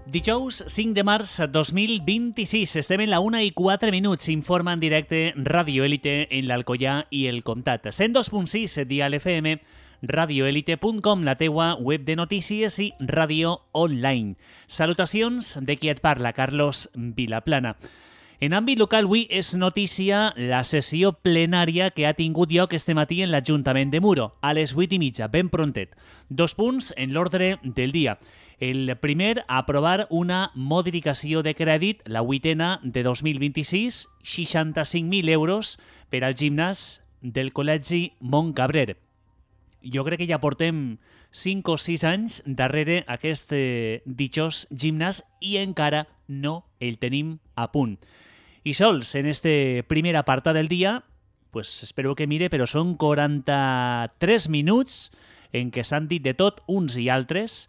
Dijous 5 de març 2026, estem en la 1:04, informa en directe Radio Élite en l'Alcoià i el Comtat. 102.6 Dial FM, radioelite.com, la teua web de notícies i ràdio online. Salutacions de qui et parla, Carlos Vilaplana. En àmbit local, avui és notícia la sessió plenària que ha tingut lloc este matí en l'Ajuntament de Muro, a les 8:30, ben prontet. 2 punts en l'ordre del dia. El primer, aprovar una modificació de crèdit, la 8ena de 2026, 65.000 euros per al gimnàs del Col·legi Montcabrer. Jo crec que ja portem 5 o 6 anys darrere aquest ditxós gimnàs i encara no el tenim a punt. I sols en este primer apartat del dia, pues espero que mire, però són 43 minuts en què s'han dit de tot uns i altres.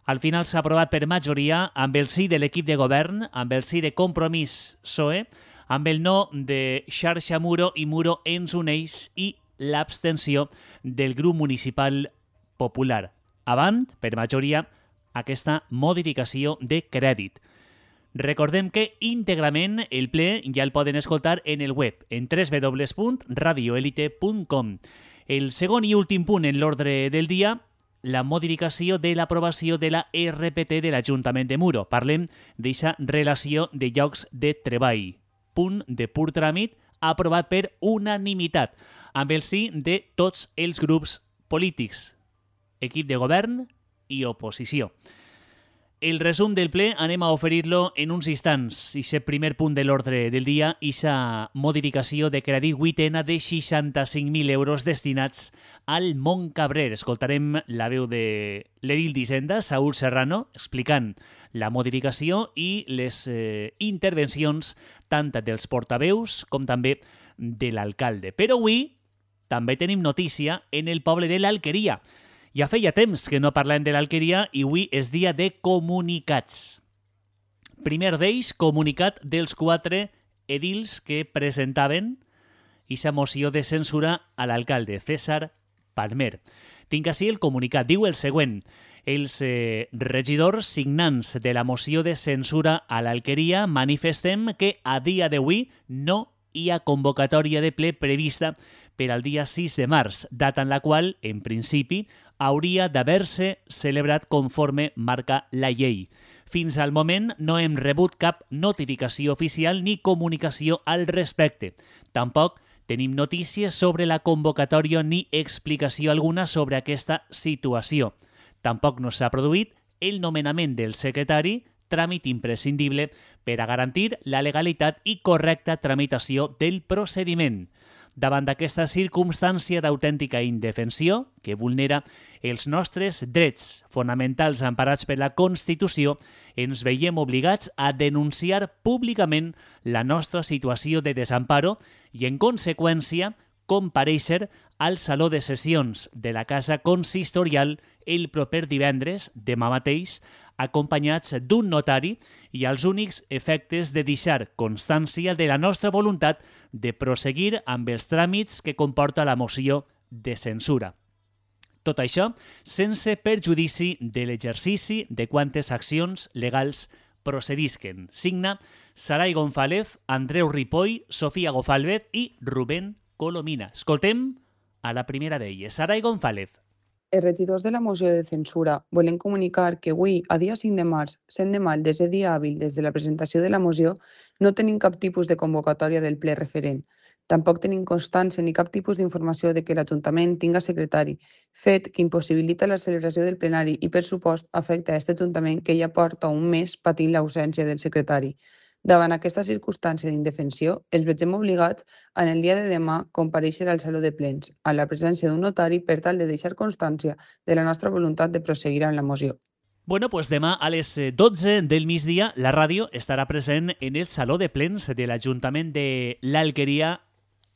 Al final s'ha aprovat per majoria amb el sí de l'equip de govern, amb el sí de Compromís PSOE, amb el no de Xarxa Muro i Muro ens uneix i l'abstenció del grup municipal popular. Avant, per majoria, aquesta modificació de crèdit. Recordem que íntegrament el ple ja el poden escoltar en el web, en www.radioelite.com. El segon i últim punt en l'ordre del dia, la modificació de l'aprovació de la RPT de l'Ajuntament de Muro. Parlem d'aquesta relació de llocs de treball. Punt de pur tràmit aprovat per unanimitat, amb el sí de tots els grups polítics, equip de govern i oposició. El resum del ple anem a oferir-lo en uns instants. Ixe primer punt de l'ordre del dia, ixa modificació de crèdit 8ena de 65.000 euros destinats al Montcabrer. Escoltarem la veu de l'edil d'Hisenda, Saúl Serrano, explicant la modificació i les intervencions tant dels portaveus com també de l'alcalde. Però avui també tenim notícia en el poble de l'Alqueria. Ja feia temps que no parlem de l'Alqueria i avui és dia de comunicats. Primer d'ells, comunicat dels 4 edils que presentaven aquesta moció de censura a l'alcalde, César Palmer. Tinc ací el comunicat. Diu el següent. Els regidors signants de la moció de censura a l'Alqueria manifestem que a dia d'avui no hi ha convocatòria de ple prevista per al dia 6 de març, data en la qual, en principi, hauria d'haver-se celebrat conforme marca la llei. Fins al moment no hem rebut cap notificació oficial ni comunicació al respecte. Tampoc tenim notícies sobre la convocatòria ni explicació alguna sobre aquesta situació. Tampoc no s'ha produït el nomenament del secretari, tràmit imprescindible per a garantir la legalitat i correcta tramitació del procediment. Davant d'aquesta circumstància d'autèntica indefensió, que vulnera els nostres drets fonamentals emparats per la Constitució, ens veiem obligats a denunciar públicament la nostra situació de desamparo i, en conseqüència, comparèixer al Saló de Sessions de la Casa Consistorial el proper divendres, demà mateix, acompanyats d'un notari i als únics efectes de deixar constància de la nostra voluntat de proseguir amb els tràmits que comporta la moció de censura. Tot això sense perjudici de l'exercici de quantes accions legals procedisquen. Signa Saray González, Andreu Ripoll, Sofía Gofalvez i Rubén Colomina. Escoltem a la primera d'elles, Saray González. Els regidors de la moció de censura volen comunicar que avui, a dia 5 de març, sent de maig des de dia hàbil des de la presentació de la moció, no tenim cap tipus de convocatòria del ple referent. Tampoc tenim constància ni cap tipus d'informació de que l'Ajuntament tinga secretari, fet que impossibilita la celebració del plenari i, per supost, afecta a aquest Ajuntament que ja porta un mes patint l'ausència del secretari. Davant aquesta circumstància d'indefensió, ens veiem obligats en el dia de demà comparèixer al Saló de Plens, a la presència d'un notari per tal de deixar constància de la nostra voluntat de proseguir amb la moció. Bueno, pues demà a les 12 del migdia la ràdio estarà present en el Saló de Plens de l'Ajuntament de l'Alqueria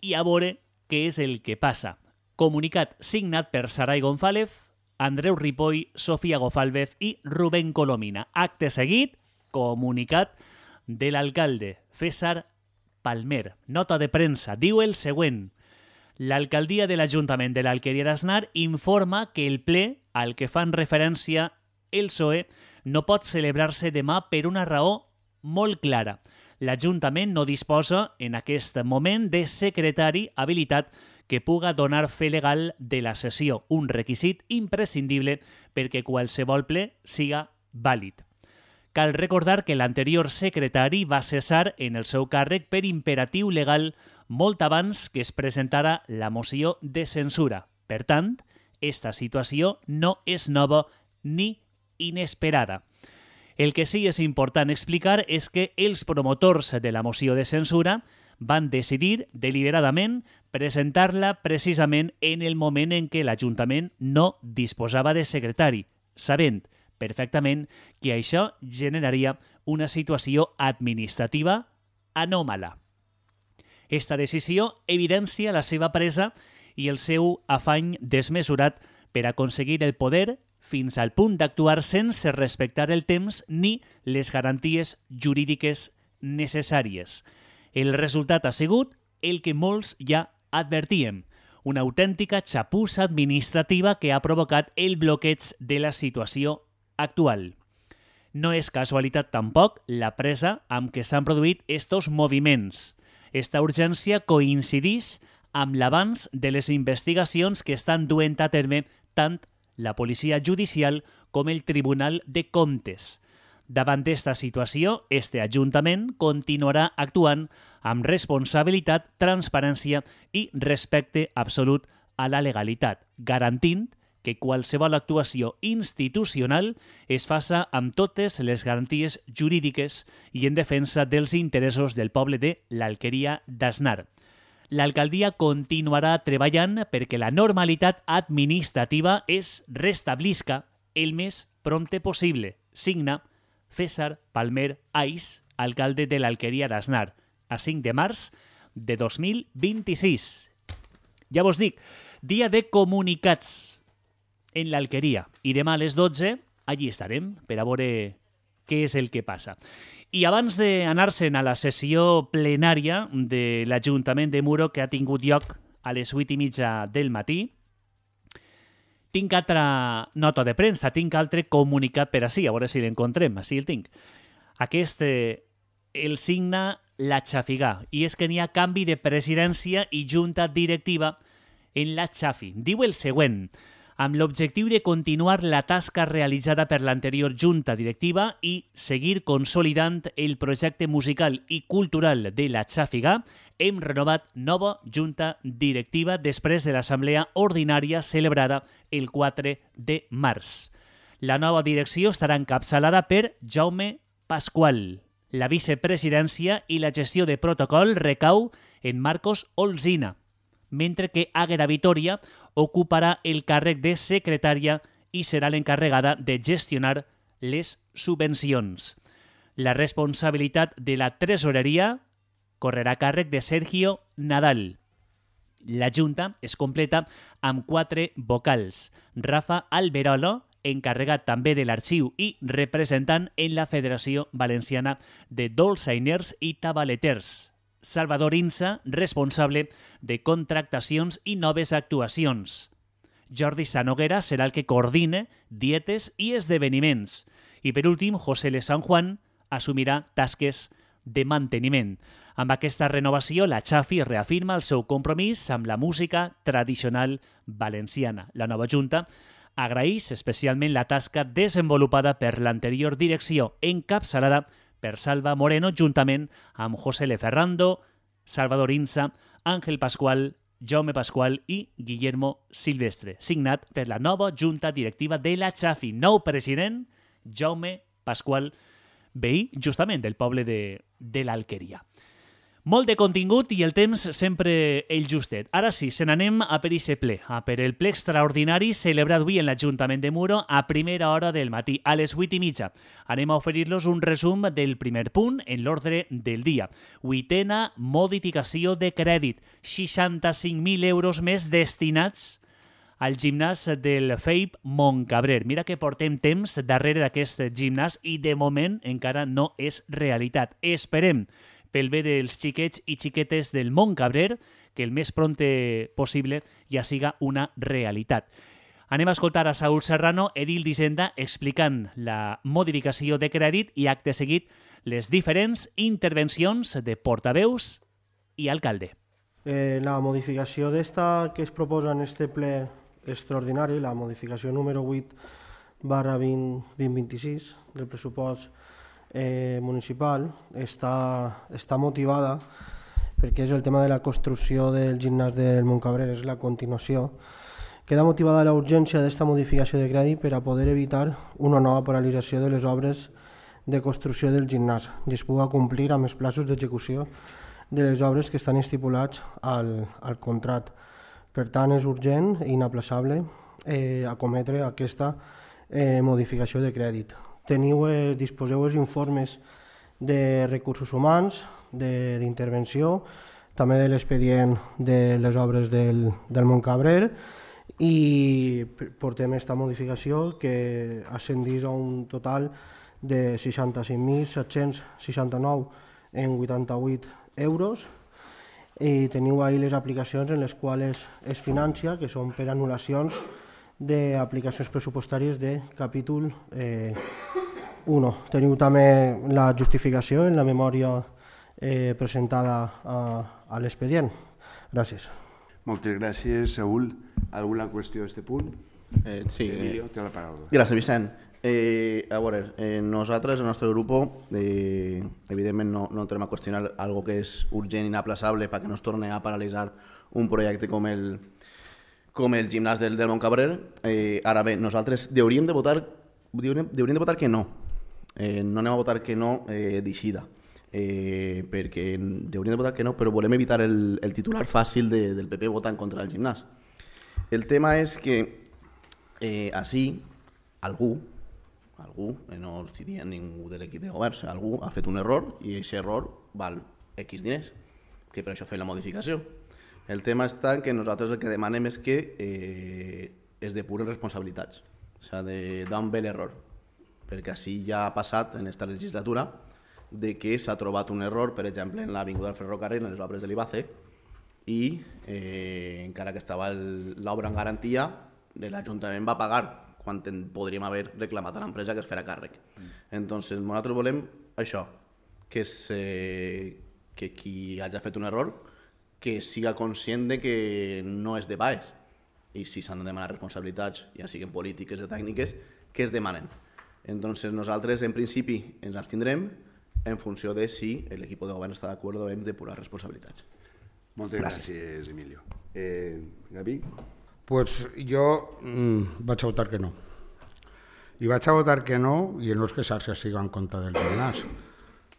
i a veure què és el que passa. Comunicat signat per Saray González, Andreu Ripoll, Sofía Gofalvez i Rubén Colomina. Acte seguit, comunicat de l'alcalde César Palmer. Nota de premsa. Diu el següent. L'alcaldia de l'Ajuntament de l'Alqueria d'Asnar informa que el ple al que fan referència el PSOE no pot celebrar-se demà per una raó molt clara. L'Ajuntament no disposa en aquest moment de secretari habilitat que puga donar fe legal de la sessió, un requisit imprescindible perquè qualsevol ple siga vàlid. Cal recordar que l'anterior secretari va cessar en el seu càrrec per imperatiu legal molt abans que es presentara la moció de censura. Per tant, esta situació no és nova ni inesperada. El que sí és important explicar és que els promotors de la moció de censura van decidir deliberadament presentar-la precisament en el moment en què l'Ajuntament no disposava de secretari, sabent perfectament que això generaria una situació administrativa anòmala. Esta decisió evidencia la seva presa i el seu afany desmesurat per aconseguir el poder fins al punt d'actuar sense respectar el temps ni les garanties jurídiques necessàries. El resultat ha sigut el que molts ja advertíem, una autèntica xapussa administrativa que ha provocat el bloqueig de la situació actual. No és casualitat tampoc la presa amb què s'han produït estos moviments. Esta urgència coincideix amb l'avanç de les investigacions que estan duent a terme tant la policia judicial com el Tribunal de Comptes. Davant d'esta situació, este Ajuntament continuarà actuant amb responsabilitat, transparència i respecte absolut a la legalitat, garantint que qualsevol actuació institucional es faça amb totes les garanties jurídiques i en defensa dels interessos del poble de l'Alqueria d'Asnar. L'alcaldia continuarà treballant perquè la normalitat administrativa es restablisca el més prompte possible. Signa César Palmer Ais, alcalde de l'Alqueria d'Asnar, a 5 de març de 2026. Ja vos dic, dia de comunicats en l'Alqueria. I demà a les 12 allí estarem per a veure què és el que passa. I abans d'anar-se'n a la sessió plenària de l'Ajuntament de Muro que ha tingut lloc a les 8:30 del matí, tinc altra nota de premsa, tinc altre comunicat per ací, a veure si l'encontrem, així el tinc. Aquest el signa la Xafigà, i és que n'hi ha canvi de presidència i junta directiva en la Xafi. Diu el següent: amb l'objectiu de continuar la tasca realitzada per l'anterior junta directiva i seguir consolidant el projecte musical i cultural de la Xàfiga, hem renovat nova junta directiva després de l'assemblea ordinària celebrada el 4 de març. La nova direcció estarà encapçalada per Jaume Pasqual. La vicepresidència i la gestió de protocol recau en Marcos Olzina, mentre que Àgueda Vitoria ocuparà el càrrec de secretària i serà l'encarregada de gestionar les subvencions. La responsabilitat de la tresoreria correrà a càrrec de Sergio Nadal. La Junta es completa amb 4 vocals. Rafa Alberolo, encarregat també de l'arxiu i representant en la Federació Valenciana de Dolçainers i Tabaleters. Salvador Insa, responsable de contractacions i noves actuacions. Jordi Sanoguera serà el que coordina dietes i esdeveniments. I per últim, José Le San Juan assumirà tasques de manteniment. Amb aquesta renovació, la Xafi reafirma el seu compromís amb la música tradicional valenciana. La nova Junta agraeix especialment la tasca desenvolupada per l'anterior direcció, encapçalada per Salva Moreno, juntament amb José Le Ferrando, Salvador Insa, Àngel Pascual, Jaume Pascual i Guillermo Silvestre, signat per la nova Junta Directiva de la Xafi. Nou president, Jaume Pascual, veí justament del poble de l'Alqueria. Molt de contingut i el temps sempre el justet. Ara sí, se n'anem a per ixe ple, a per el ple extraordinari celebrat avui en l'Ajuntament de Muro a primera hora del matí, a les 8:30. Anem a oferir-los un resum del primer punt en l'ordre del dia. 8ª modificació de crèdit, 65.000 euros més destinats al gimnàs del FEIP Montcabrer. Mira que portem temps darrere d'aquest gimnàs i de moment encara no és realitat. Esperem pel bé dels xiquets i xiquetes del Montcabrer, que el més prompte possible ja siga una realitat. Anem a escoltar a Saúl Serrano, edil d'Hisenda, explicant la modificació de crèdit i, acte seguit, les diferents intervencions de portaveus i alcalde. La modificació d'esta que es proposa en este ple extraordinari, la modificació número 8/2026 del pressupost municipal, està motivada perquè és el tema de la construcció del gimnàs del Montcabrer, és la continuació. Queda motivada la urgència d'esta modificació de crèdit per a poder evitar una nova paralització de les obres de construcció del gimnàs i es pugui complir amb els plaços d'execució de les obres que estan estipulats al contracte. Per tant, és urgent i inaplaçable acometre aquesta modificació de crèdit. Disposeu els informes de recursos humans, d'intervenció, també de l'expedient de les obres del Montcabrer, i portem aquesta modificació que ascendís a un total de 65.769,88 euros, i teniu ahí les aplicacions en les quals es financia, que són per anul·lacions d'aplicacions pressupostàries de capítol 1. Teniu també la justificació en la memòria presentada a l'expedient. Gràcies. Moltes gràcies, Saúl. Alguna qüestió a aquest punt? Sí. Emilio, té la paraula. Gràcies, Vicent. A veure, nosaltres, el nostre grup, evidentment no entrem a qüestionar algo que és urgent i inaplaçable perquè no es torni a paralitzar un projecte com el gimnàs del Montcabrer. Ara bé, nosaltres hauríem de votar que no. No anem a votar que no d'eixida, perquè hauríem de votar que no, però volem evitar el titular fàcil del PP votant contra el gimnàs. El tema és que així algú, no els diria ningú de l'equip de govern, algú ha fet un error i aquest error val X diners, que per això fem la modificació. El tema està que nosaltres el que demanem és que es depuren responsabilitats, o sigui, d'on ve l'error, perquè així ja ha passat en aquesta legislatura de que s'ha trobat un error, per exemple, en l'Avinguda del Ferrocarril, en les obres de l'IBACE, i encara que estava l'obra en garantia, l'Ajuntament va pagar quan podríem haver reclamat a l'empresa que es farà càrrec. Entonces, nosaltres volem això, que qui hagi fet un error que siga conscient de que no és de baix, i si s'han de demanar responsabilitats, ja siguin polítiques o tècniques, que es demanen. Entonces, nosaltres, en principi, ens abstindrem en funció de si l'equip de govern està d'acord en depurar responsabilitats. Moltes gràcies, Emilio. Gavi? Pues jo vaig a votar que no. I vaig a votar que no, i no és que Xarxa siga en contra del gimnàs,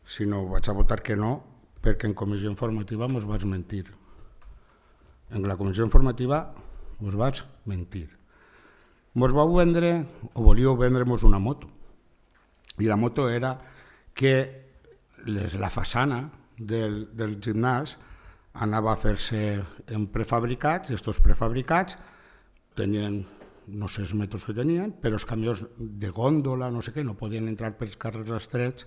sinó vaig a votar que no perquè en comissió informativa mos vaig mentir. En la comissió informativa mos vaig mentir. Mos vau vendre, o volíeu vendre-mos una moto. I la moto era que la façana del gimnàs anava a fer-se en prefabricats, i aquests prefabricats tenien, no sé els metres que tenien, però els camions de gòndola, no sé què, no podien entrar pels carrers estrets,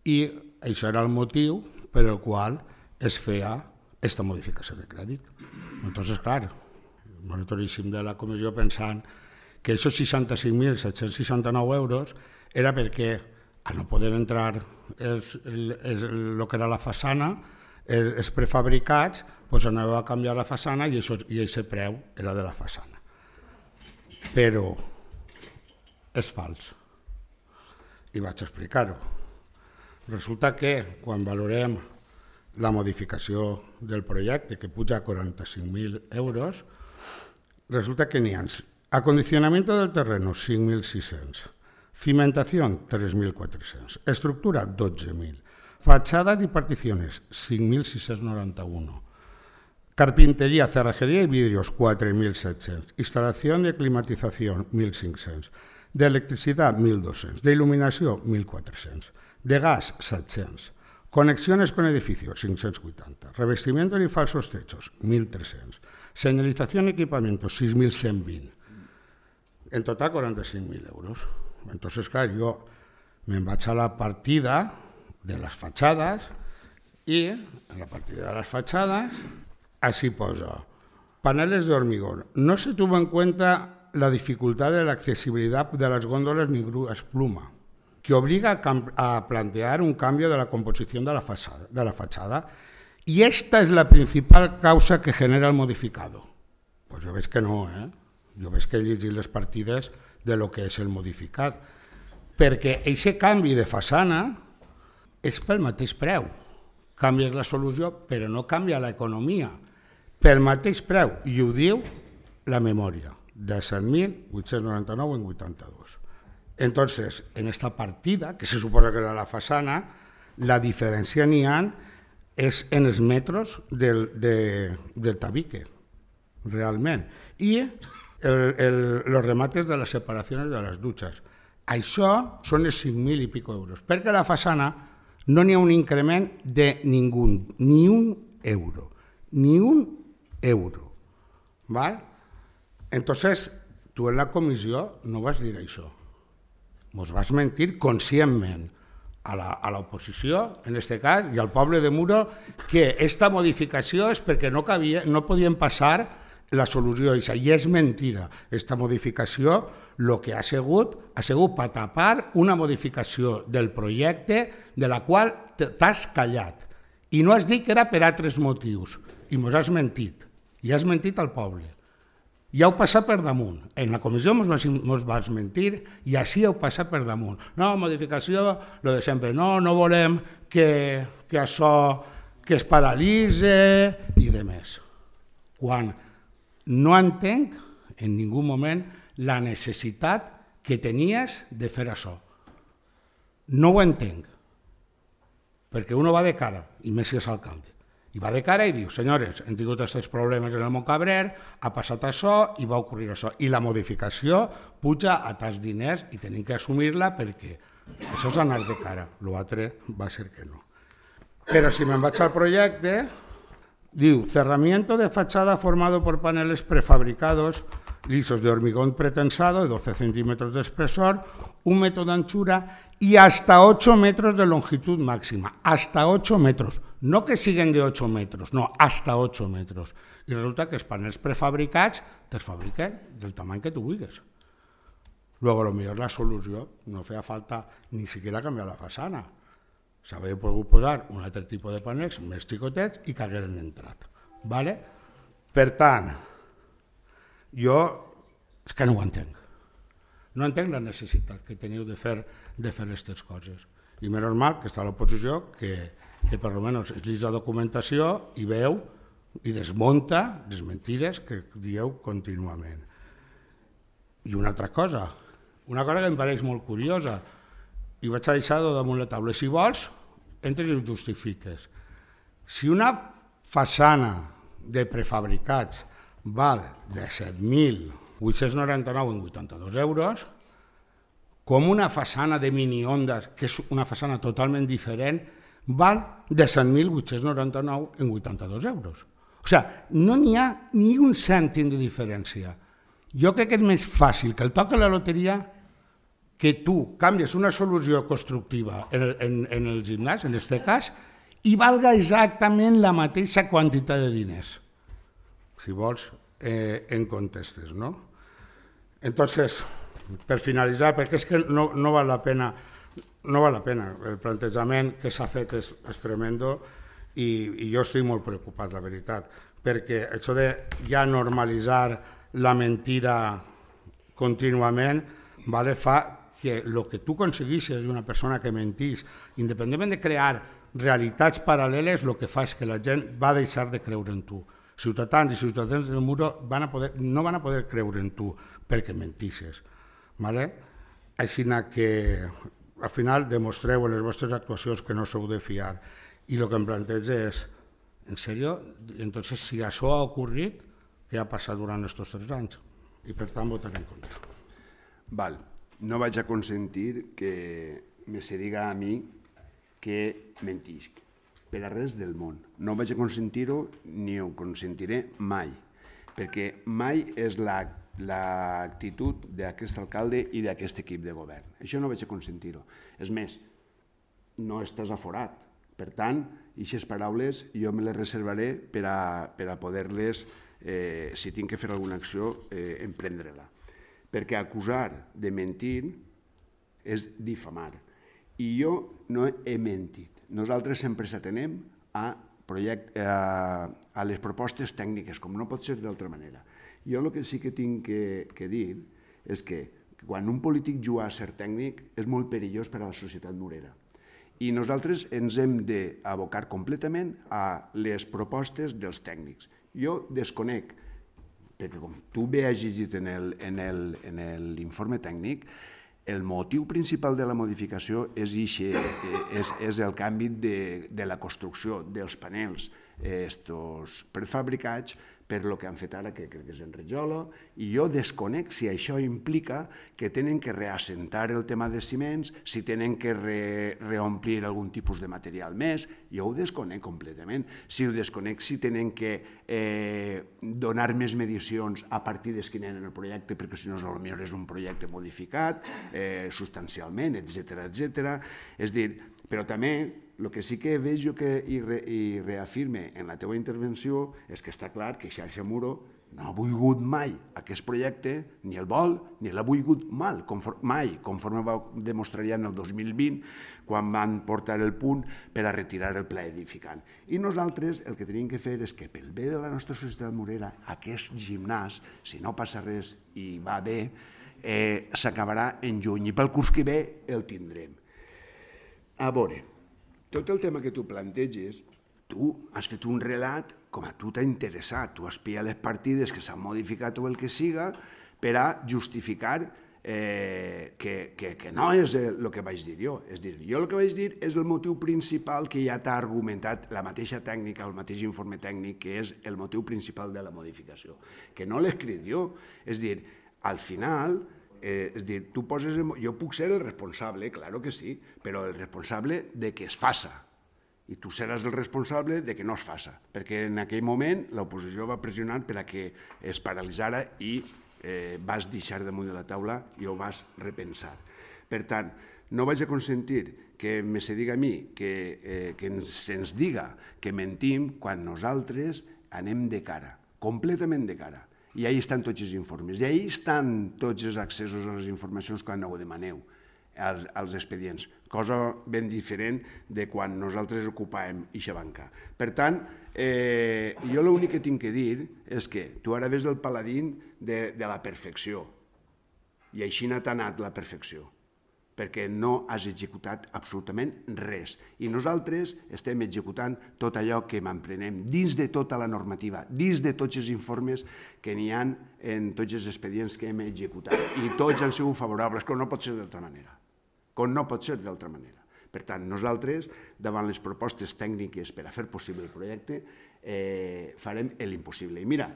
i això era el motiu per el qual es feia aquesta modificació de crèdit. Entonces, clar, nosaltres eixim de la comissió pensant que aquests 65.769 euros era perquè al no poder entrar el que era la façana, els prefabricats, doncs anàveu a canviar la façana i aquest preu era de la façana. Però és fals. I vaig explicar-ho. Resulta que quan valorem la modificació del projecte, que puja a 45.000 euros, resulta que n'hi ha acondicionamiento del terreno, 5.600, cimentación, 3.400, estructura, 12.000, fachadas y particiones, 5.691, carpintería, cerrajería y vidrios, 4.700, instalación de climatización, 1.500, de electricidad, 1.200, de iluminació, 1.400, de gas, 700, conexiones con edificios, 580, revestimiento y falsos techos, 1.300, señalización y equipamiento, 6.120, en total 45.000 euros. Entonces, clar, jo me'n vaig a la partida de les fatxades i en la partida de les fatxades así posa paneles de hormigón. No se tuvo en cuenta la dificultad de la accesibilidad de las góndolas ni grúas pluma, que obliga a plantear un cambio de la composición de la fachada. Y esta es la principal causa que genera el modificado. Pues jo veig que no, Jo veig que he llegit les partides de lo que és el modificat. Perquè aquest canvi de façana és pel mateix preu. Canvies la solució, però no canvia l'economia. Pel mateix preu, i ho diu la memòria, de 7.899 en 82. Entonces, en esta partida, que se suposa que era la façana, la diferència n'hi ha és en els metres del tabique, realment. I los remates de les separacions de les dutxes. Això són els 5.000 i pico euros, perquè a la façana no n'hi ha un increment de ningú, ni un euro, ni un euro. ¿Vale? Entonces, tu en la comissió no vas dir això. Mos vas mentir conscientment a l'oposició, en aquest cas, i al poble de Muro, que aquesta modificació és perquè no podien passar la solució. I és mentira. Aquesta modificació el que ha sigut per tapar una modificació del projecte de la qual t'has callat. I no has dit que era per altres motius. I mos has mentit. I has mentit al poble. I heu passat per damunt. En la comissió mos vas mentir i així heu passat per damunt. No, modificació, lo de sempre. No volem que això que es paralitze i de més. Quan no entenc en ningú moment la necessitat que tenies de fer això. No ho entenc. Perquè uno va de cara, i més si és alcalde. I va de cara i diu, senyores, hem tingut aquests problemes en el Montcabrer, ha passat això i va ocórrer això. I la modificació puja a tants diners i tenim que assumir-la perquè això és anar de cara. L'altre va ser que no. Però si me'n vaig al projecte, diu, cerramiento de fachada formado por paneles prefabricados lisos de hormigón pretensado de 12 centímetros de espesor, 1 metro de anchura y hasta 8 metros de longitud máxima. Hasta 8 metros. No que siguen de 8 metros, no, hasta 8 metros. I resulta que els panels prefabricats te'ls fabriquen del tamany que tu vulguis. Luego, potser la solució no feia falta ni siquiera canviar la façana. S'hauria pogut posar un altre tipus de panels més xicotets i que hagueren entrat. ¿Vale? Per tant, jo és que no ho entenc. No entenc la necessitat que teniu de fer aquestes coses. I menys mal que està a l'oposició que per almenys es llegeix la documentació i veu i desmunta les mentides que dieu contínuament. I una altra cosa que em pareix molt curiosa, i vaig a deixar damunt la taula. Si vols, entres i ho justifiques. Si una façana de prefabricats val de 7.899 en 82 euros, com una façana de mini-ondes, que és una façana totalment diferent, val de 7.899 en 82 euros. O sigui, no n'hi ha ni un cèntim de diferència. Jo crec que és més fàcil que el toc a la loteria que tu canvies una solució constructiva en el gimnàs, en aquest cas, i valga exactament la mateixa quantitat de diners. Si vols, en contestes, no? Entonces, per finalitzar, perquè és que no val la pena, el plantejament que s'ha fet és tremendo i jo estic molt preocupat, la veritat, perquè això de ja normalitzar la mentira contínuament fa que el que tu aconsegueixes d'una persona que mentís, independentment de crear realitats paral·leles, el que fa és que la gent va deixar de creure en tu. Ciutadans i ciutadans del Muro no van a poder creure en tu perquè mentisses. Així que al final demostreu en les vostres actuacions que no sou de fiar. I el que em planteja és, en sèrio, entonces si això ha ocorrit, què ha passat durant aquests 3 anys? I per tant votaré en contra. Val, no vaig a consentir que me se diga a mi que mentisc, per a res del món. No vaig a consentir-ho ni ho consentiré mai, perquè mai és l'actitud d'aquest alcalde i d'aquest equip de govern. Això no vaig a consentir-ho. És més, no estàs aforat. Per tant, aquestes paraules jo me les reservaré per a poder-les, si tinc que fer alguna acció, emprendre-la. perquè acusar de mentir és difamar. I jo no he mentit. Nosaltres sempre s'atenem a les propostes tècniques, com no pot ser d'altra manera. Jo el que sí que tinc que dir és que quan un polític juga a ser tècnic és molt perillós per a la societat murera. I nosaltres ens hem d'abocar completament a les propostes dels tècnics. Jo desconec, perquè com tu bé has llegit en l'informe tècnic, el motiu principal de la modificació és el canvi de la construcció dels panels prefabricats per el que han fet ara, que crec que és en Rajola, i jo desconec si això implica que tenen que reassentar el tema de ciments, si tenen que reomplir algun tipus de material més, jo ho desconec completament. Si ho desconec, si tenen que donar més medicions a partir d'esquinant el projecte, perquè si no, potser és un projecte modificat substancialment, etc. És dir, però també el que sí que veig i reafirme en la teva intervenció és que està clar que Xarxa Muro no ha volgut mai aquest projecte, ni el vol, ni l'ha volgut mai, conforme va demostrar ja en el 2020, quan van portar el punt per a retirar el pla edificant. I nosaltres el que tenim que fer és que pel bé de la nostra societat murera, aquest gimnàs, si no passa res i va bé, s'acabarà en juny i pel curs que ve el tindrem. A veure, tot el tema que tu planteges, tu has fet un relat com a tu t'ha interessat, tu has pillat les partides que s'han modificat o el que siga per a justificar que no és el que vaig dir jo. És dir, jo el que vaig dir és el motiu principal que ja t'ha argumentat la mateixa tècnica, el mateix informe tècnic, que és el motiu principal de la modificació, que no l'he escrit jo. És dir, al final, tu poses... Jo puc ser el responsable, claro que sí, però el responsable de que es faça. I tu seràs el responsable de que no es faça, perquè en aquell moment l'oposició va pressionar per a que es paralitzara i vas deixar damunt de la taula i ho vas repensar. Per tant, no vaig a consentir que se diga a mi, que se'ns diga que mentim quan nosaltres anem de cara, completament de cara. I ahí estan tots els informes, i ahí estan tots els accessos a les informacions quan ho demaneu als expedients, cosa ben diferent de quan nosaltres ocupàvem eixa banca. Per tant, jo l'únic que tinc que dir és que tu ara ves el paladín de la perfecció, i així t'ha anat la perfecció, perquè no has executat absolutament res. I nosaltres estem executant tot allò que m'emprenem dins de tota la normativa, dins de tots els informes que n'hi ha en tots els expedients que hem executat. I tots han sigut favorables, com no pot ser d'altra manera. Com no pot ser d'altra manera. Per tant, nosaltres, davant les propostes tècniques per a fer possible el projecte, farem l'impossible. I mira,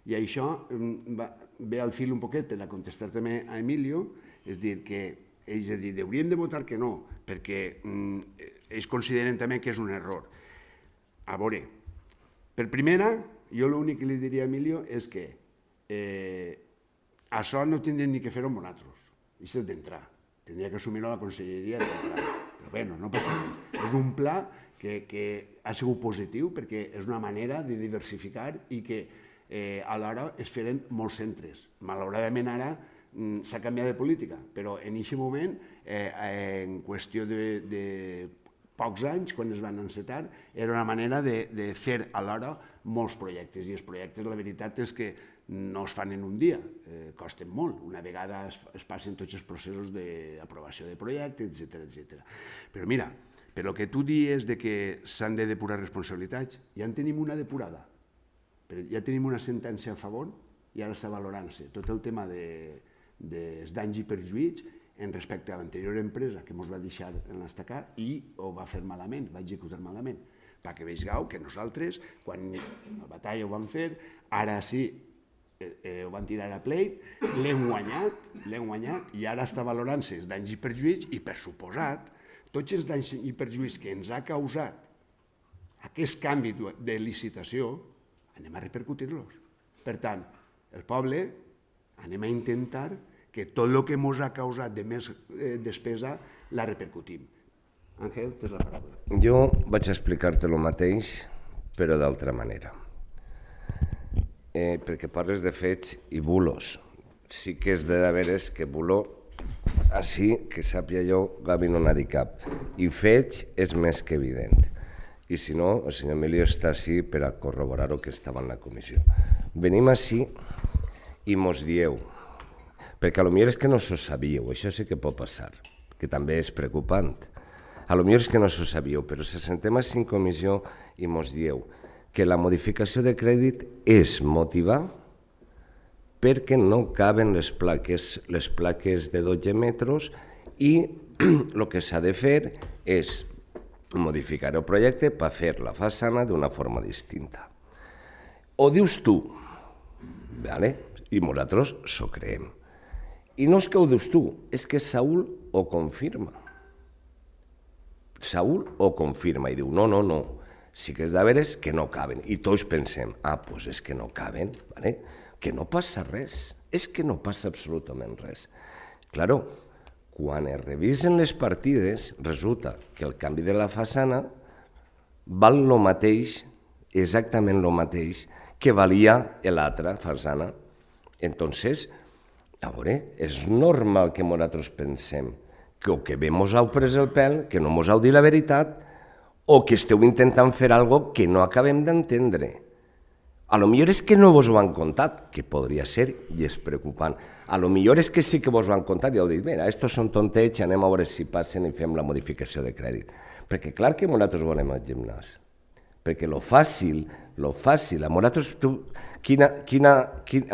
i això ve al fil un poquet per a contestar també a Emilio, és dir, que ells haurien de votar que no, perquè ells consideren també que és un error. A veure, per primera, jo l'únic que li diria a Emilio és que això no tindrien ni que fer-ho amb nosaltres, això és d'entrar. Tindria que assumir-ho a la conselleria d'entrar. Però bé, no passa res. És un pla que ha sigut positiu perquè és una manera de diversificar i que alhora es feren molts centres. Malauradament ara s'ha canviat de política, però en aquest moment, en qüestió de pocs anys, quan es van encetar, era una manera de fer alhora molts projectes. I els projectes, la veritat és que no es fan en un dia, costen molt. Una vegada es passen tots els processos d'aprovació de projecte, etc. Però mira, per el que tu dius que s'han de depurar responsabilitats, ja en tenim una depurada. Ja tenim una sentència a favor i ara està valorant-se tot el tema dels danys i perjuïts en respecte a l'anterior empresa que ens va deixar en l'estacar i ho va fer malament, va executar malament. Perquè vegeu que nosaltres, quan la batalla ho vam fer, ara sí, ho van tirar a pleit, l'hem guanyat i ara està valorant-se els danys i perjuïts i, per suposat, tots els danys i perjuïts que ens ha causat aquest canvi de licitació, anem a repercutir-los. Per tant, el poble anem a intentar que tot el que ens ha causat de més despesa la repercutim. Àngel, tens la paraula. Jo vaig explicar-te el mateix, però d'altra manera. Perquè parles de fets i bulos. sí que és de veres que voló així, que sàpia jo, Gavi no n'ha dit cap. I feig és més que evident. I si no, el senyor Emilio està així per a corroborar-ho que estava en la comissió. Venim així i mos dieu, perquè potser és que no s'ho sabíeu, això sí que pot passar, que també és preocupant. Potser és que no s'ho sabíeu, però se sentem així en comissió i mos dieu que la modificació de crèdit és motivar perquè no caben les plaques de 12 metres i el que s'ha de fer és modificar el projecte per fer la façana d'una forma distinta. Ho dius tu, ¿vale? I nosaltres s'ho creem. I no és que ho dius tu, és que Saúl ho confirma. Saúl ho confirma i diu, no, sí que és de veres que no caben. I tots pensem, doncs és que no caben, ¿vale? Que no passa res, és que no passa absolutament res. Claro, quan es revisen les partides, resulta que el canvi de la façana val el mateix, exactament el mateix, que valia l'altra façana. Entonces, a veure, és normal que nosaltres pensem que o que bé mos heu pres el pèl, que no mos heu dit la veritat, o que esteu intentant fer alguna cosa que no acabem d'entendre. A lo millor és que no vos ho han contat, que podria ser i és preocupant. A lo millor és que sí que vos ho han contat i heu dit, mira, estos són tontets, anem a veure si passen i fem la modificació de crèdit. Perquè clar que nosaltres volem el gimnàs. Perquè lo fàcil, a nosaltres, a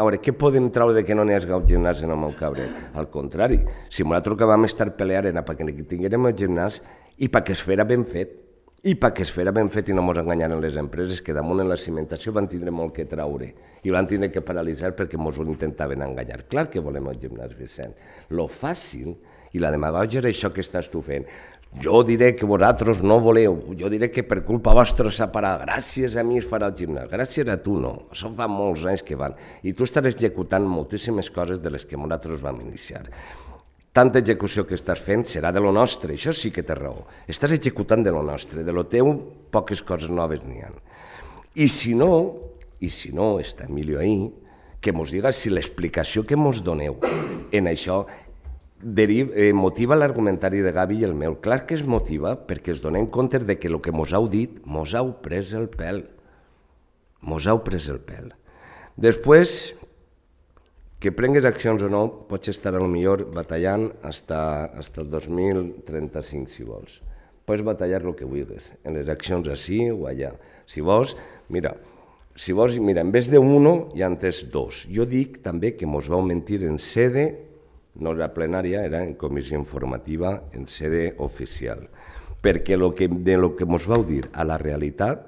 veure, què podem treure de que no n'hi hagi el gimnàs en el Montcabrer? Al contrari, si nosaltres que vam estar peleant era perquè tinguérem el gimnàs i perquè es fera ben fet. I perquè es fera ben fet i no ens enganyaren les empreses que damunt en la cimentació van tindre molt que traure i van tindre que paralitzar perquè ens ho intentaven enganyar. Clar que volem el gimnàs, Vicent. Lo fàcil i la demagògia és això que estàs tu fent. Jo diré que vosaltres no voleu, jo diré que per culpa vostra s'ha parat, gràcies a mi es farà el gimnàs, gràcies a tu no, això fa molts anys que van. I tu estàs executant moltíssimes coses de les que nosaltres vam iniciar. Tanta execució que estàs fent serà de lo nostre, això sí que té raó. Estàs executant de lo nostre, de lo teu poques coses noves n'hi ha. I si no, està Emilio ahí, que mos diga si l'explicació que mos doneu en això motiva l'argumentari de Gavi i el meu. Clar que es motiva perquè es donem compte de que el que mos heu dit mos heu pres el pèl. Mos heu pres el pèl. Després, que prengues accions o no, pots estar potser batallant fins el 2035, si vols. Pots batallar el que vulguis, en les accions així o allà. Si vols, mira, en vez de uno, ja en tens dos. Jo dic també que mos vau mentir en sede, no era plenària, era en comissió informativa, en sede oficial. Perquè de lo que mos vau dir a la realitat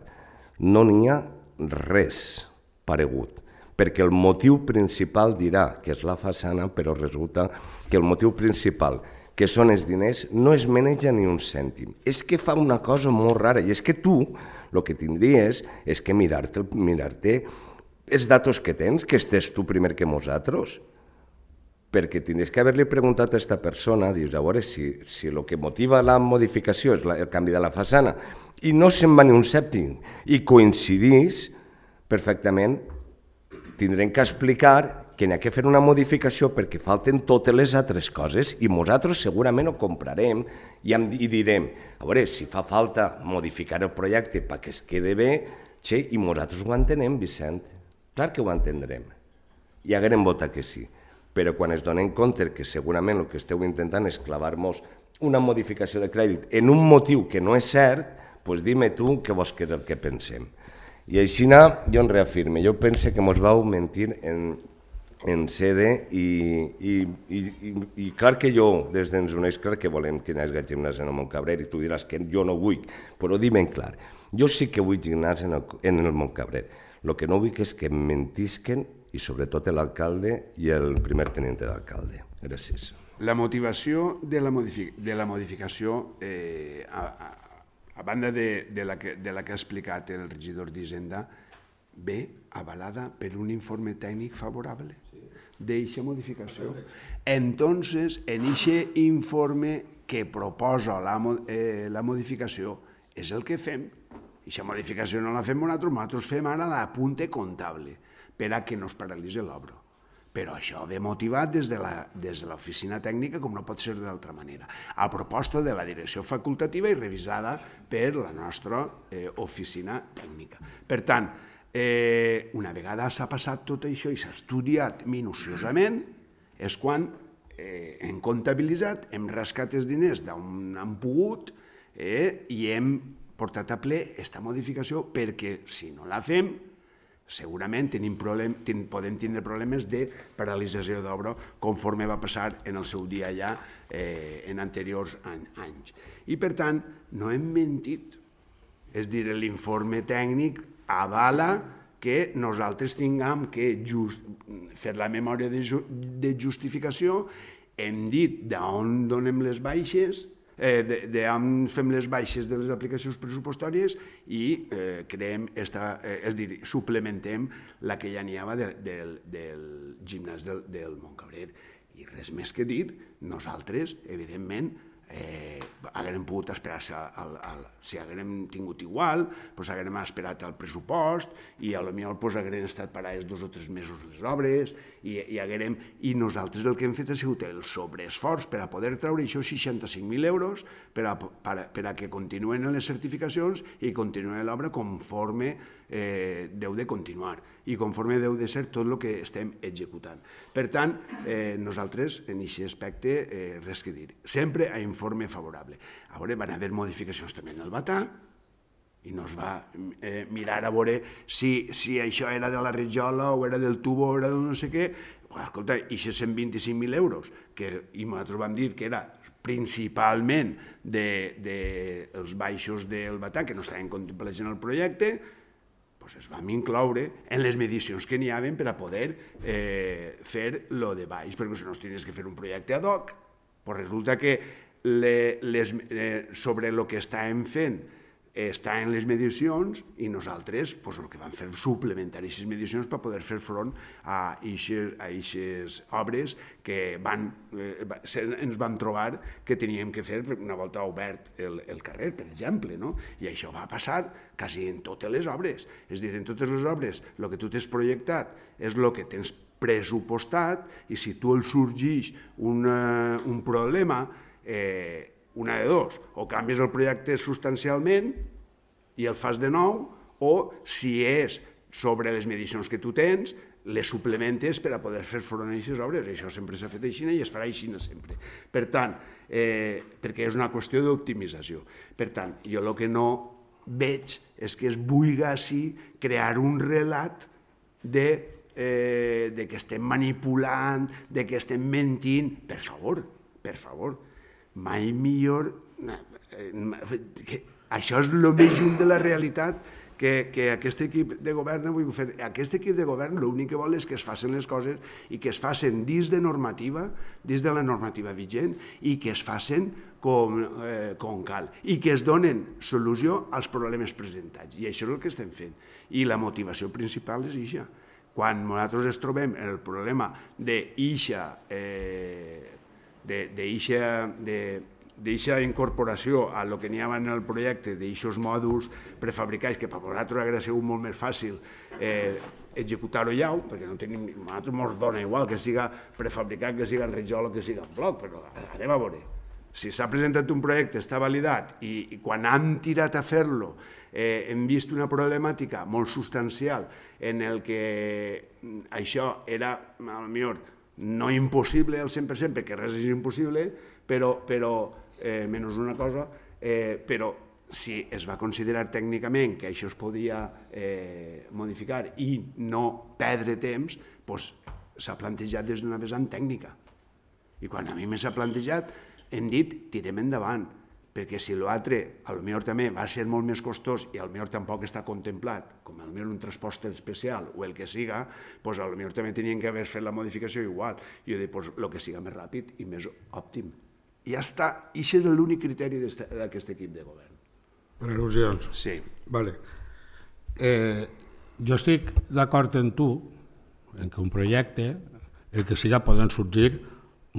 no n'hi ha res paregut. Perquè el motiu principal dirà que és la façana, però resulta que el motiu principal, que són els diners, no es maneja ni un cèntim. És que fa una cosa molt rara, i és que tu el que tindries és que mirar-te els datos que tens, que estés tu primer que nosaltres, perquè tindries que haver-li preguntat a aquesta persona, dius, a veure, si el que motiva la modificació és el canvi de la façana, i no se'n va ni un cèntim, i coincidís perfectament, tindrem que explicar que n'hi ha que fer una modificació perquè falten totes les altres coses i nosaltres segurament ho comprarem i direm, a veure, si fa falta modificar el projecte perquè es quede bé, i nosaltres ho entenem, Vicent. Clar que ho entendrem. I haguem votat que sí. Però quan es donem compte que segurament el que esteu intentant és clavar-nos una modificació de crèdit en un motiu que no és cert, doncs dime tu què vols que és el que pensem. I així jo en reafirme, jo pense que mos vau mentir en sede i clar que jo, des d'ens uneix, clar que volem que hi hagi gimnàs en el Montcabrer i tu diràs que jo no vull, però di ben clar, jo sí que vull gimnàs en el Montcabrer. El que no vull és que mentisquen i sobretot l'alcalde i el primer tenente d'alcalde. Gràcies. La motivació de la modificació a banda de la que ha explicat el regidor d'Hisenda, ve avalada per un informe tècnic favorable d'eixa modificació. Entonces, en aquest informe que proposa la modificació és el que fem. Eixa modificació no la fem nosaltres fem ara l'apunte comptable per a que no es paralitzi l'obra. però això ve motivat des de l'oficina tècnica, com no pot ser d'altra manera, a proposta de la direcció facultativa i revisada per la nostra oficina tècnica. Per tant, una vegada s'ha passat tot això i s'ha estudiat minuciosament, és quan hem comptabilitzat, hem rascat els diners d'on han pogut i hem portat a ple aquesta modificació perquè, si no la fem, segurament podem tindre problemes de paralització d'obra conforme va passar en el seu dia ja en anteriors anys. I per tant, no hem mentit. És dir, l'informe tècnic avala que nosaltres tinguem que fer la memòria de justificació, hem dit d'on donem les baixes, d'on fem les baixes de les aplicacions pressupostàries i creem, és dir, suplementem la que ja n'hi havia del gimnàs del Montcabrer. I res més que dit, nosaltres, evidentment, haguem pogut esperar, si haguem tingut igual, haguem esperat el pressupost i potser haguem estat parades 2 o 3 mesos les obres i nosaltres el que hem fet ha sigut el sobreesforç per a poder treure això 65.000 euros per a que continuen les certificacions i continuï l'obra conforme deu de continuar i conforme deu de ser tot el que estem executant. Per tant, nosaltres en aquest aspecte res que dir. Sempre a informe favorable. A veure, van haver modificacions també en el Batà i no es va mirar a veure si això era de la Rajola o era del tubo o era de no sé què. Escolta, i 125.000 euros, i nosaltres vam dir que era principalment dels baixos del Batà, que no estaven contemplats en el projecte, es vam incloure en les medicions que n'hi havia per a poder fer lo de baix, perquè si no tenies que fer un projecte ad hoc, resulta que sobre el que estàvem fent està en les medicions i nosaltres el que vam fer és suplementar aquestes medicions per poder fer front a aquestes obres que ens vam trobar que teníem que fer una volta obert el carrer, per exemple, i això va passar quasi en totes les obres. És a dir, en totes les obres el que tu t'has projectat és el que tens pressupostat i si tu el sorgeix un problema, una de dos, o canvies el projecte substancialment i el fas de nou, o si és sobre les medicions que tu tens, les suplementes per a poder fer front a aquestes obres. Això sempre s'ha fet així i es farà així sempre. Per tant, perquè és una qüestió d'optimització. Per tant, jo el que no veig és que es vulgui així crear un relat de que estem manipulant, de que estem mentint. Per favor, mai millor... Això és el més junt de la realitat que aquest equip de govern vull fer. Aquest equip de govern l'únic que vol és que es facin les coses i que es facin dins de la normativa vigent i que es facin com cal i que es donen solució als problemes presentats. I això és el que estem fent. I la motivació principal és això. Quan nosaltres ens trobem el problema d'eixa incorporació a lo que n'hi havia en el projecte, d'eixos mòduls prefabricats, que per nosaltres hauria sigut molt més fàcil executar-ho ja, perquè a nosaltres ens dona igual que siga prefabricat, que siga en Rajola, que siga en bloc, però anem a veure. Si s'ha presentat un projecte, està validat, i quan hem tirat a fer-lo hem vist una problemàtica molt substancial en el que això era, potser, no impossible al 100%, perquè res és impossible, però menys una cosa, però si es va considerar tècnicament que això es podia modificar i no perdre temps, s'ha plantejat des d'una vessant tècnica. I quan a mi m'ha plantejat, hem dit, tirem endavant, perquè si l'altre potser també va ser molt més costós i potser tampoc està contemplat, com potser un transport especial o el que siga, potser també tenien que haver fet la modificació igual. Jo dic, el que siga més ràpid i més òptim. I ja està, i això és l'únic criteri d'aquest equip de govern. Per al·lusions? Sí. Vale. Jo estic d'acord amb tu en que un projecte, el que siga, poden sorgir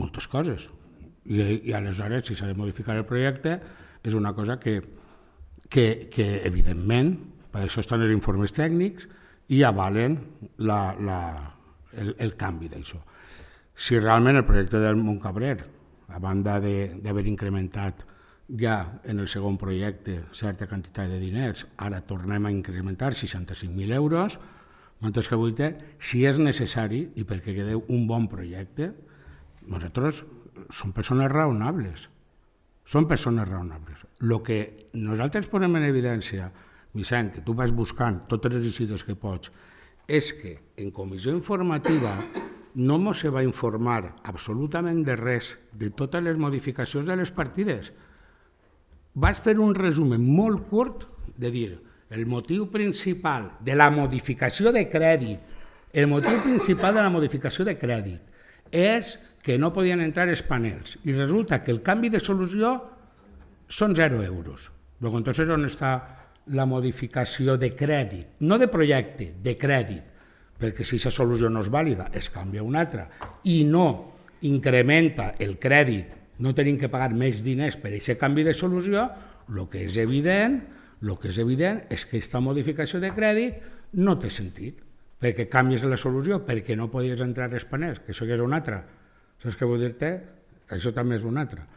moltes coses. I aleshores, si s'ha de modificar el projecte, és una cosa que evidentment, per això estan els informes tècnics i avalen el canvi d'això. Si realment el projecte del Montcabrer, a banda d'haver incrementat ja en el segon projecte certa quantitat de diners, ara tornem a incrementar 65.000 euros, que vull dir, si és necessari i perquè quedeu un bon projecte, nosaltres som persones raonables. Són persones raonables. El que nosaltres posem en evidència, Vicent, que tu vas buscant totes les visites que pots, és que en comissió informativa no ens va informar absolutament de res de totes les modificacions de les partides. Vas fer un resum molt curt de dir el motiu principal de la modificació de crèdit, és que no podien entrar els panels i resulta que el canvi de solució són 0 euros. Entonces, on està la modificació de crèdit? No de projecte, de crèdit. Perquè si aquesta solució no és vàlida, es canvia una altra i no incrementa el crèdit, no tenim que pagar més diners per aquest canvi de solució, el que és evident és que aquesta modificació de crèdit no té sentit, perquè canvies la solució, perquè no podies entrar als panels, que això ja és una altra. Saps què vull dir-te? Això també és una altra.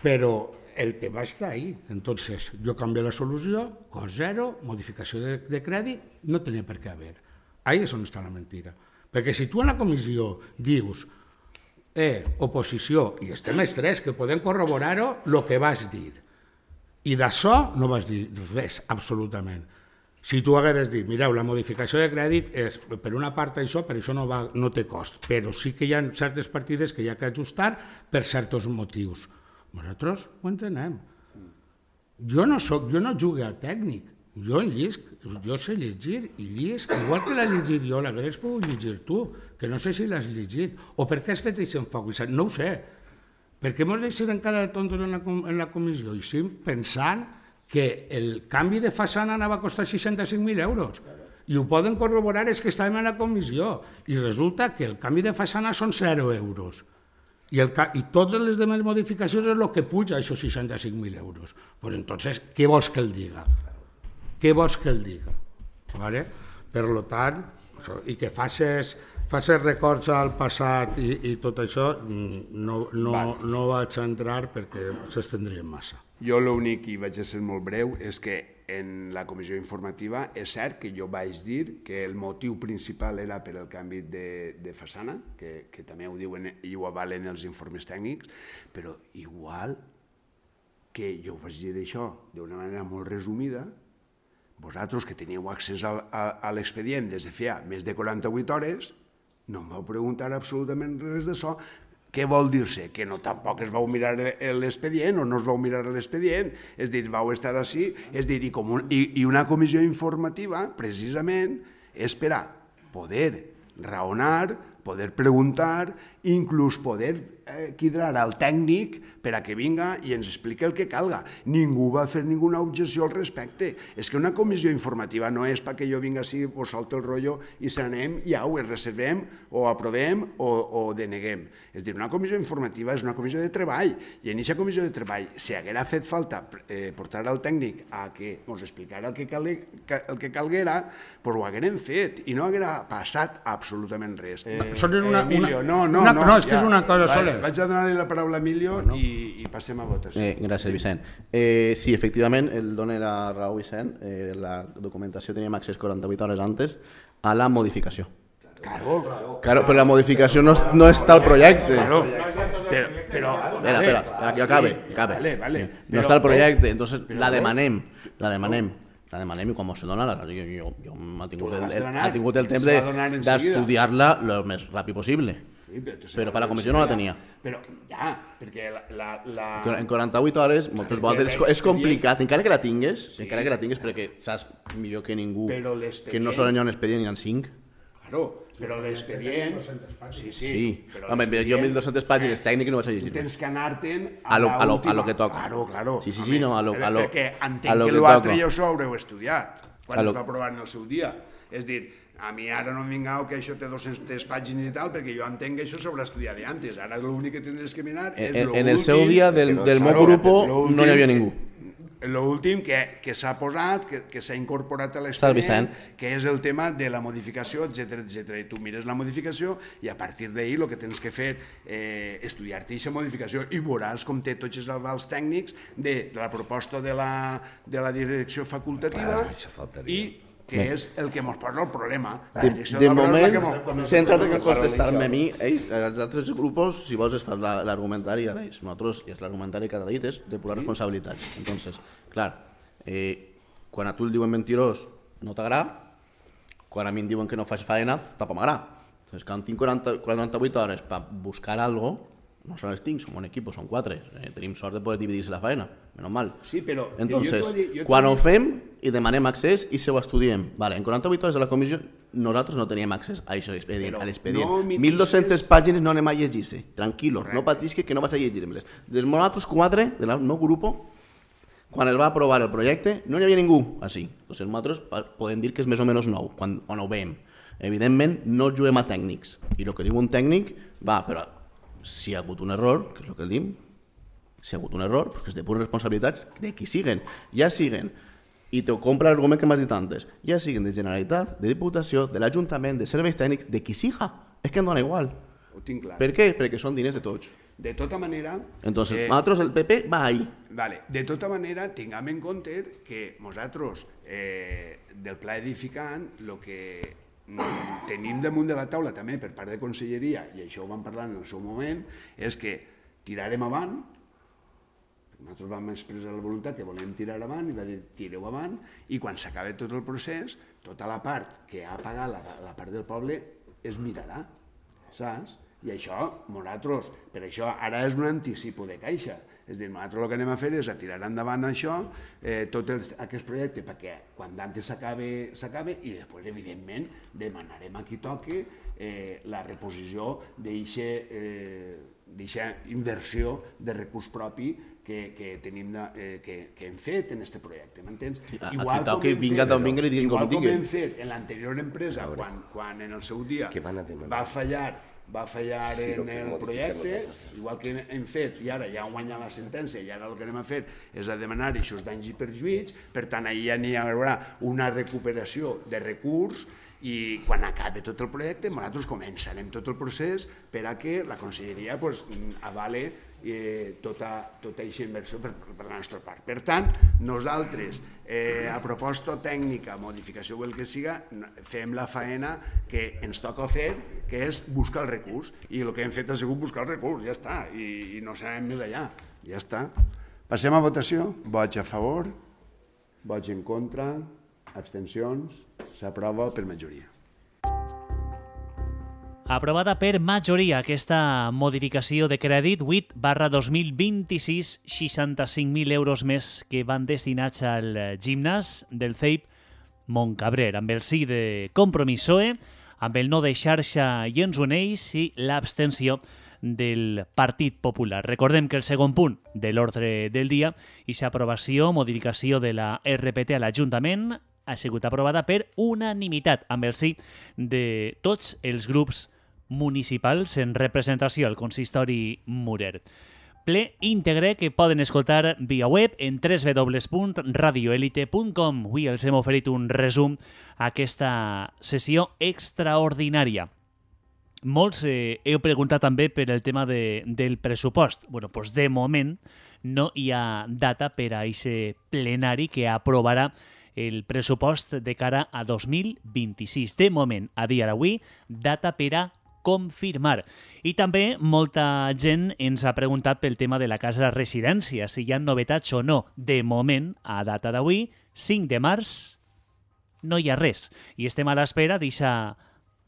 Però el tema està ahí. Entonces, jo canvio la solució, cost zero, modificació de crèdit, no tenia per què haver. Ahí és on està la mentira. Perquè si tu en la comissió dius oposició, i estem els tres que podem corroborar-ho, el que vas dir. I d'això no vas dir res, absolutament. Si tu hagués dit, mireu, la modificació de crèdit és per una part això, per això no té cost, però sí que hi ha certes partides que hi ha que ajustar per certs motius. Nosaltres ho entenem. Jo no jugo a tècnic, jo sé llegir i llisc, igual que l'ha llegit jo, l'hagués pogut llegir tu, que no sé si l'has llegit, o per què has fet aquest enfoc, no ho sé. Per què ens deixem encara de tontos en la comissió? I sí, pensant que el canvi de façana anava a costar 65.000 euros. I ho poden corroborar els que estàvem a la comissió. I resulta que el canvi de façana són 0 euros. I totes les demás modificacions és el que puja aquests 65.000 euros. Pues entonces, què vols que el diga? Què vols que el diga? Per tant, i que facis records al passat i tot això, no vaig entrar perquè s'estendrien massa. Jo l'únic, i vaig a ser molt breu, és que en la comissió informativa és cert que jo vaig dir que el motiu principal era per el canvi de façana, que també ho diuen i ho avalen els informes tècnics, però igual que jo vaig dir això d'una manera molt resumida, vosaltres que teníeu accés a l'expedient des de feia més de 48 hores, no em vau preguntar absolutament res d'això. Què vol dir-se? Que no tampoc es vau mirar l'expedient o no es vau mirar l'expedient, és dir, vau estar així, és dir, i una comissió informativa, precisament, és per a poder raonar, poder preguntar, inclús poder quidrar al tècnic per a que vinga i ens expliqui el que calga. Ningú va fer ninguna objecció al respecte. És que una comissió informativa no és perquè jo vinga així, vos solto el rotllo i se n'anem i au, es reservem o aprovem o deneguem. És dir, una comissió informativa és una comissió de treball i en aquesta comissió de treball, si haguera fet falta portar al tècnic a que ens explicara el que calguera, doncs ho haguérem fet i no haguera passat absolutament res. Emilio, no, és que és una cosa sola. Vaig a donar-li la paraula a Emilio i passem a votació. Gràcies, Vicent. Sí, efectivament, el dona la raó, Vicent. La documentació teníem accés 48 hores antes a la modificació. Claro, però la modificació no està al projecte. Espera, que acabe. No està al projecte, entonces la demanem i quan se dona, jo ha tingut el temps d'estudiar-la el més ràpid possible. Però per la comissió no la tenia. Però ja, perquè en 48 hores moltes voltes és complicat, encara que la tingues perquè saps millor que ningú que no solen hi ha un expedient i hi ha 5. Claro, però l'expedient... Sí, home, jo 1.200 pàgines tècniques no vaig a llegir. Tu tens que anar-te'n a lo que toca. Claro. Sí, no, a lo que toca. Perquè entenc que l'altre ja us ho haureu estudiat quan es va aprovar en el seu dia. És dir, a mi ara no em vingau que això té 200 pàgines i tal, perquè jo entenc que això s'haurà estudiat d'antes. Ara l'únic que tindràs que mirar és l'últim... En el seu dia del meu grup no hi havia ningú. l'últim que s'ha posat, que s'ha incorporat a Sal Vicent. l'expedient, que és el tema de la modificació, etc. I tu mires la modificació i a partir d'ahir el que tens que fer és estudiar-te aquesta modificació i veuràs com té tots els avals tècnics de la proposta de la direcció facultativa i que és el que ens posa el problema. De moment, centra't en contestar-me a mi, els altres grups, si vols, es fa l'argumentari a ells. Nosaltres, i és l'argumentari que ha dit, és depurar responsabilitats. Entonces, clar, quan a tu el diuen mentirós, no t'agrada, quan a mi em diuen que no faig feina, tampoc m'agrada. Entonces, quan tinc 48 hores per buscar alguna cosa, no se les tinc, som un equip, són 4, tenim sort de poder dividir-se la feina, menys mal. Sí, però... Entonces, quan ho fem i demanem accés i se ho estudiem, vale, en 48 hores de la comissió nosaltres no teníem accés a aquest expedient, a l'expedient. 1.200 pàgines no anem a llegir-se, tranquil·lo, no patisque que no vas a llegir-me-les. Dels nosaltres 4, del meu grup, quan es va aprovar el projecte, no hi havia ningú així. Entonces, nosaltres podem dir que és més o menys nou, quan ho veiem. Evidentment, no juguem a tècnics, i el que diu un tècnic va, però si hi ha hagut un error, que és el que diu, si hi ha hagut un error, perquè és de pures responsabilitats de qui siguen, ja siguen, i te compra l'argument que m'has dit antes, ja siguen de Generalitat, de Diputació, de l'Ajuntament, de serveis tècnics, de qui siga, és que em dona igual. Ho tinc clar. Per què? Perquè són diners de tots. De tota manera... Entonces, nosaltres el PP va ahí. Vale. De tota manera, tinguem en compte que nosaltres, del pla edificant, el que tenim damunt de la taula també per part de Conselleria, i això ho vam parlar en el seu moment, és que tirarem avant, nosaltres vam expressar la voluntat que volem tirar avant i va dir tireu avant, i quan s'acabi tot el procés, tota la part que ha pagat la part del poble es mirarà, saps? I això, nosaltres, per això ara és un anticipo de caixa. És a dir, nosaltres el que anem a fer és a tirar endavant això, tot aquest projecte, perquè quan d'antes s'acabe i després, evidentment, demanarem a qui toqui la reposició d'eixa inversió de recurs propi que hem fet en aquest projecte, m'entens? Igual com hem fet en l'anterior empresa, quan en el seu dia va fallar en el projecte, igual que hem fet, i ara ja han guanyat la sentència, i ara el que anem a fer és a demanar aquests danys i perjuïts, per tant, allà n'hi haurà una recuperació de recurs, i quan acabi tot el projecte, nosaltres començarem tot el procés per a que la Conselleria avale tota aquesta inversió per la nostra part. Per tant, nosaltres, a proposta tècnica, modificació o el que siga, fem la faena que ens toca fer, que és buscar el recurs. I el que hem fet ha sigut buscar el recurs, ja està, i no serem més allà, ja està. Passem a votació. Vots a favor, vots en contra, abstencions, s'aprova per majoria. Aprovada per majoria aquesta modificació de crèdit 8/2026, 65.000 euros més que van destinats al gimnàs del CEIP Montcabrer, amb el sí de Compromís PSOE, amb el no de Xarxa i Ens Uneix i l'abstenció del Partit Popular. Recordem que el segon punt de l'ordre del dia i l'aprovació, modificació de la RPT a l'Ajuntament ha sigut aprovada per unanimitat, amb el sí de tots els grups municipals en representació al consistori Murer. Ple íntegre que poden escoltar via web en www.radioelite.com. Avui els hem oferit un resum a aquesta sessió extraordinària. Molts heu preguntat també per el tema del pressupost. Bueno, doncs de moment no hi ha data per a aquest plenari que aprovarà el pressupost de cara a 2026. De moment, a dia d'avui, data per a confirmar. I també molta gent ens ha preguntat pel tema de la casa residència, si hi ha novetats o no. De moment, a data d'avui, 5 de març, no hi ha res. I estem a l'espera d'aquesta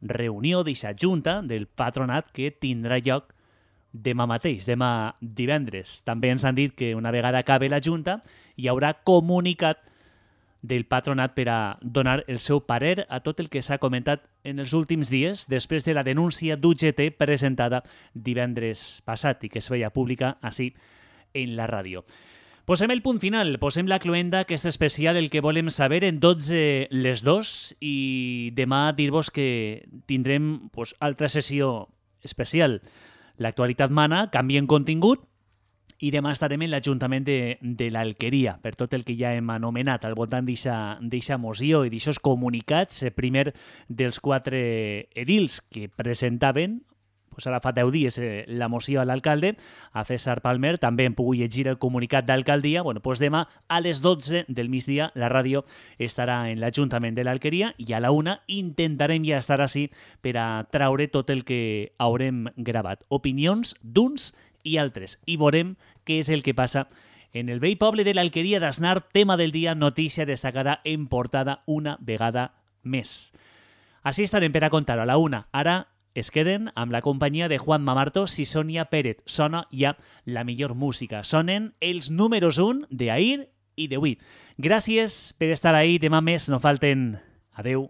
reunió, d'aquesta junta del patronat que tindrà lloc demà mateix, demà divendres. També ens han dit que una vegada acabi la junta hi haurà comunicat del patronat per a donar el seu parer a tot el que s'ha comentat en els últims dies després de la denúncia d'UGT presentada divendres passat i que es feia pública així en la ràdio. Posem el punt final, posem la cloenda, aquest especial, el que volem saber en 12 les 2 i demà dir-vos que tindrem altra sessió especial. L'actualitat mana, canvia en contingut I demà estarem en l'Ajuntament de l'Alqueria, per tot el que ja hem anomenat al voltant d'eixa moció i d'aixòs comunicats, primer dels 4 edils que presentaven, pues ara fa 10 dies, la moció a l'alcalde, a César Palmer. També hem pogut llegir el comunicat d'alcaldia. Bueno, pues demà a les 12 del migdia la ràdio estarà en l'Ajuntament de l'Alqueria i a la 1 intentarem ja estar així per a traure tot el que haurem gravat. Opinions d'uns i altres. I veurem què és el que passa en el vell poble de l'Alqueria d'Asnar. Tema del dia, notícia destacada en portada una vegada més. Així estarem per a contar-ho a la 1. Ara es queden amb la companyia de Juan Mamartos i Sònia Pérez. Sona ja la millor música. Sonen els números 1 d'ahir i d'avui. Gràcies per estar ahí. Demà més no falten. Adeu.